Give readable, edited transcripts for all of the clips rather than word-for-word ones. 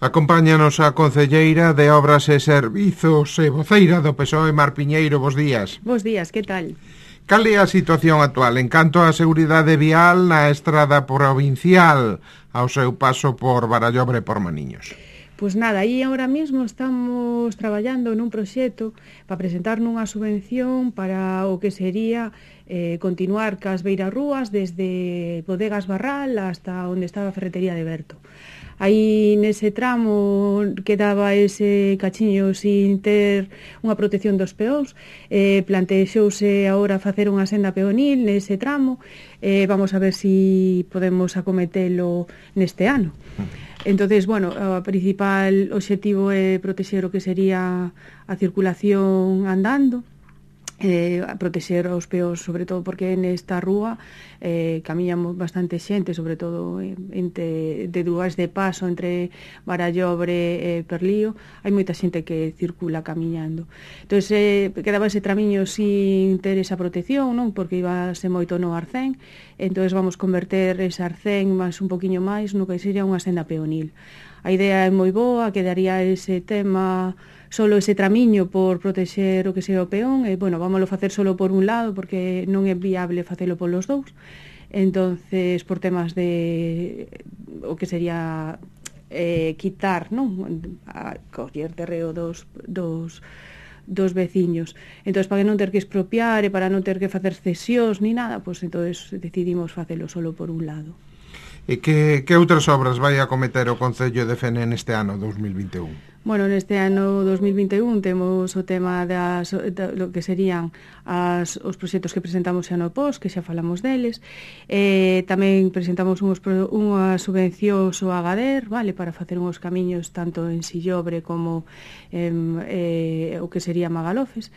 Acompáñanos a concelleira de Obras e Servizos e voceira do PSOE, Mar Piñeiro. Bos días. Bos días, que tal? Cal é a situación actual en canto á seguridade vial na estrada provincial ao seu paso por Barallobre e por Maniños? Pois nada, aí ahora mesmo estamos traballando nun proxecto para presentar nunha subvención para o que sería continuar cas beirarrúas desde Bodegas Barral hasta onde estaba a ferretería de Berto. Aí nese tramo quedaba ese cachiño sin ter unha protección dos peóns, plantexouse agora facer unha senda peonil nese tramo, vamos a ver se podemos acometelo neste ano. Entonces, bueno, o principal obxectivo é protexer o que sería a circulación andando, a protexer os peóns, sobre todo porque nesta rúa camiñamos bastante xente, sobre todo de lugares de paso entre Barallobre e Perlío, hai moita xente que circula camiñando. Entón, quedaba ese tramiño sin ter esa protección, non? Porque ibase moito no arcén, entón vamos converter ese arcén máis un poquinho máis no que sería unha senda peonil. A idea é moi boa, quedaría ese tema solo ese tramiño por protexer o que sea o peón, e, bueno, vámoslo facer solo por un lado porque non é viable facelo polos dous. Entonces, por temas de o que sería quitar, non? A coller terreo dos veciños. Entón, para non ter que expropiar e para non ter que facer cesións ni nada, pois entonces decidimos facelo solo por un lado. E que outras obras vai acometer o Concello de Fene neste ano 2021? Bueno, neste ano 2021 temos o tema lo que serían os proxectos que presentamos xa no POS, que xa falamos deles. Tamén presentamos unha subvención ao Agader, vale, para facer uns camiños tanto en Sillobre como o que sería Magalofes.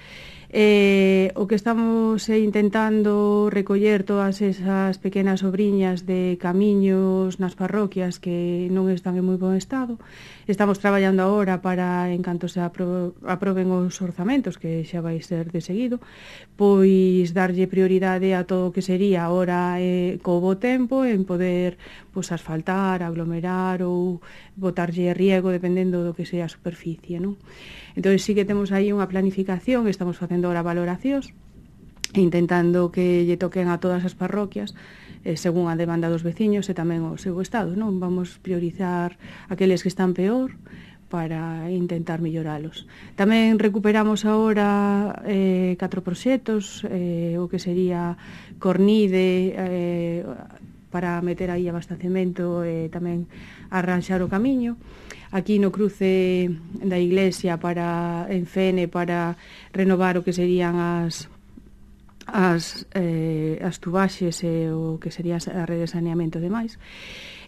O que estamos intentando recoller todas esas pequenas obriñas de camiños nas parroquias que non están en moi bon estado. Estamos traballando agora para, en canto se aproben os orzamentos, que xa vai ser de seguido, pois darlle prioridade a todo o que sería agora co bo tempo en poder asfaltar, aglomerar ou botarlle riego dependendo do que sea a superficie, non? Entón, sí que temos aí unha planificación, estamos facendo ahora valoracións, intentando que lle toquen a todas as parroquias, según a demanda dos veciños e tamén o seu estado, non? Vamos priorizar aqueles que están peor para intentar melloralos. Tamén recuperamos agora 4 proxectos, o que sería Cornide, para meter aí abastecemento e tamén arranxar o camiño. Aquí no cruce da iglesia en Fene para renovar o que serían as tubaxes e o que sería a rede de saneamento e demais.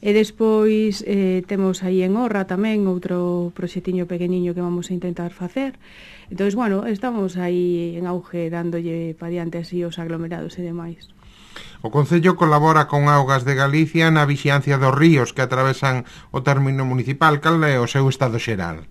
E despois temos aí en Orra tamén outro proxectiño pequeniño que vamos a intentar facer. Entón, bueno, estamos aí en auge dándolle pa diante así os aglomerados e demais. O Concello colabora con Augas de Galicia na vixiancia dos ríos que atravesan o término municipal. Cal é o seu estado xeral?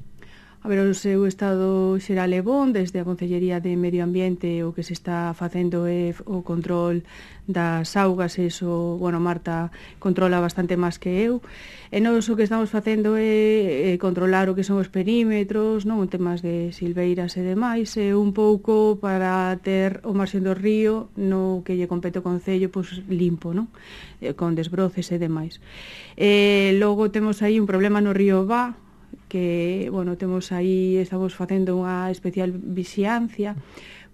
A ver, o seu estado xeral é bon, desde a Concellería de Medio Ambiente o que se está facendo é o control das augas, eso, bueno, Marta controla bastante máis que eu, e nós o que estamos facendo é controlar o que son os perímetros, non, temas de silveiras e demais, e un pouco para ter o marxen do río no que lle compete o Concello, pois limpo, non, con desbroces e demais. Logo temos aí un problema no río Vá, que, bueno, estamos facendo unha especial vixiancia,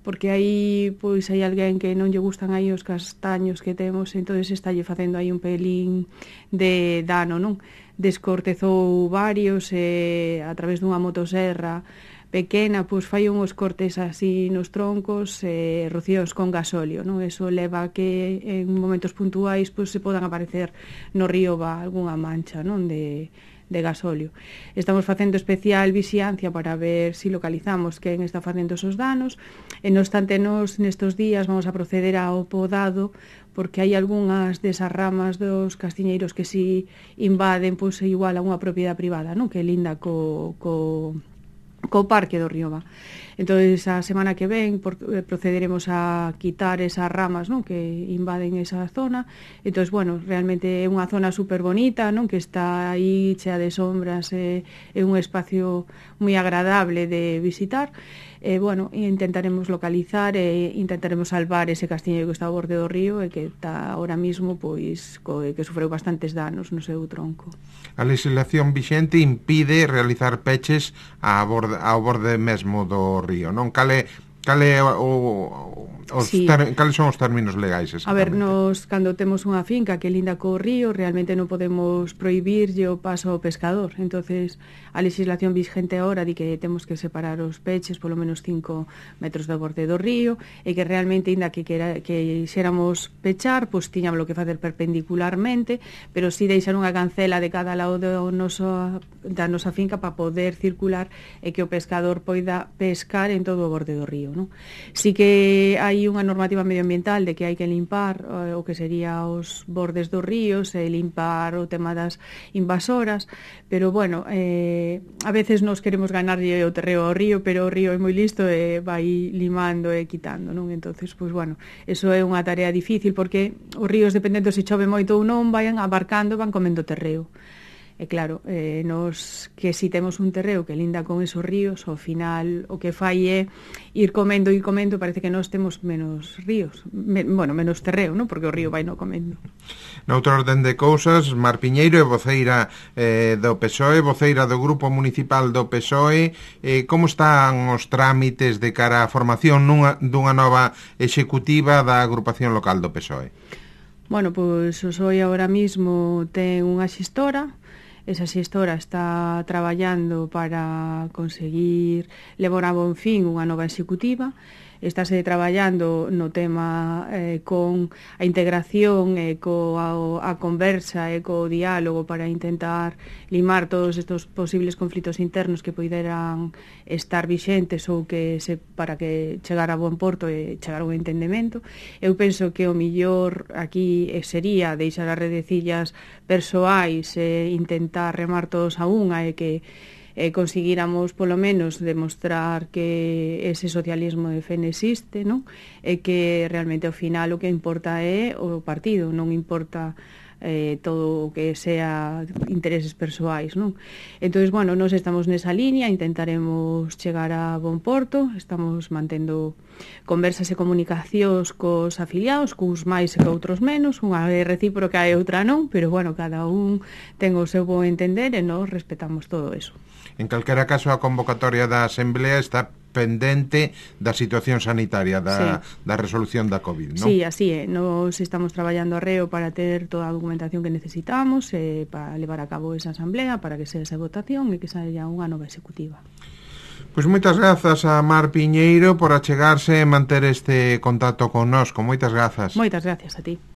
porque aí, pois, hai alguén que non lle gustan aí os castaños que temos, entonces estalle facendo aí un pelín de dano, non? Descortezou varios a través dunha motoserra pequena, pois fai uns cortes así nos troncos, rocíos con gasóleo, non? Eso leva a que en momentos puntuais pois se podan aparecer no río algunha mancha, non? De gasóleo. Estamos facendo especial vixiancia para ver se localizamos quen está facendo esos danos, e non obstante nos nestes días vamos a proceder ao podado, porque hai algunhas desas ramas dos castiñeiros que si invaden, pois igual a unha propiedade privada, non? Que linda co co Parque do Río. Entón, a semana que ven procederemos a quitar esas ramas, non, que invaden esa zona. Entón, bueno, realmente é unha zona super bonita, non, que está aí chea de sombras, é un espacio moi agradable de visitar. Bueno, intentaremos localizar e intentaremos salvar ese castiño que está ao borde do río e que está ahora mismo, pois, que sufreu bastantes danos no seu tronco. A legislación vixente impide realizar peches ao borde mesmo do río, non? Cales son os términos legais exactamente? A ver, nos cando temos unha finca que linda co río, realmente non podemos prohibirlle o paso ao pescador. Entonces, a legislación vigente agora di que temos que separar os peches polo menos 5 metros do borde do río e que realmente, inda que xéramos pechar, pois tiñamos que facer perpendicularmente, pero si deixar unha cancela de cada lado da nosa finca para poder circular e que o pescador poida pescar en todo o borde do río, non? Si que hai unha normativa medioambiental de que hai que limpar o que sería os bordes dos ríos e limpar o tema das invasoras, pero bueno, a veces nos queremos ganarlle o terreo ao río, pero o río é moi listo e vai limando e quitando, non? Entonces, pois bueno, eso é unha tarea difícil porque os ríos, dependendo se chove moito ou non, vayan abarcando, van comendo terreo. E claro, nos que si temos un terreo que linda con esos ríos, ao final o que fai é ir comendo, parece que nós temos menos ríos, menos terreo, non? Porque o río vai no comendo. Noutro orden de cousas, Mar Piñeiro é voceira do PSOE, voceira do Grupo Municipal do PSOE. Como están os trámites de cara á formación dunha nova executiva da agrupación local do PSOE? Bueno, pois o PSOE agora mismo ten unha xestora. Esa xestora está traballando para conseguir levar a bon fin unha nova executiva. Estáse traballando no tema con a integración e a conversa e co diálogo para intentar limar todos estes posibles conflitos internos que poideran estar vixentes ou para que chegar a bon porto e chegar a un entendemento. Eu penso que o millor aquí sería deixar as redecillas persoais e intentar remar todos a unha e que conseguíramos polo menos demostrar que ese socialismo de fe existe, non? E que realmente ao final o que importa é o partido, non importa todo o que sea intereses persoais, non? Entón, bueno, nós estamos nesa línea, intentaremos chegar a bon porto, estamos mantendo conversas e comunicacións cos afiliados, cuns máis e coutros menos, unha é recíproca e outra non, pero bueno, cada un ten o seu bo entender e nós respetamos todo eso. En calquera caso, a convocatoria da Asamblea está pendente da situación sanitaria, da resolución da COVID, non? Sí, así é. Nos estamos traballando arreo para ter toda a documentación que necesitamos para levar a cabo esa asamblea, para que sea esa votación e que saia unha nova executiva. Pois moitas grazas a Mar Piñeiro por achegarse e manter este contacto connosco. Moitas grazas. Moitas gracias a ti.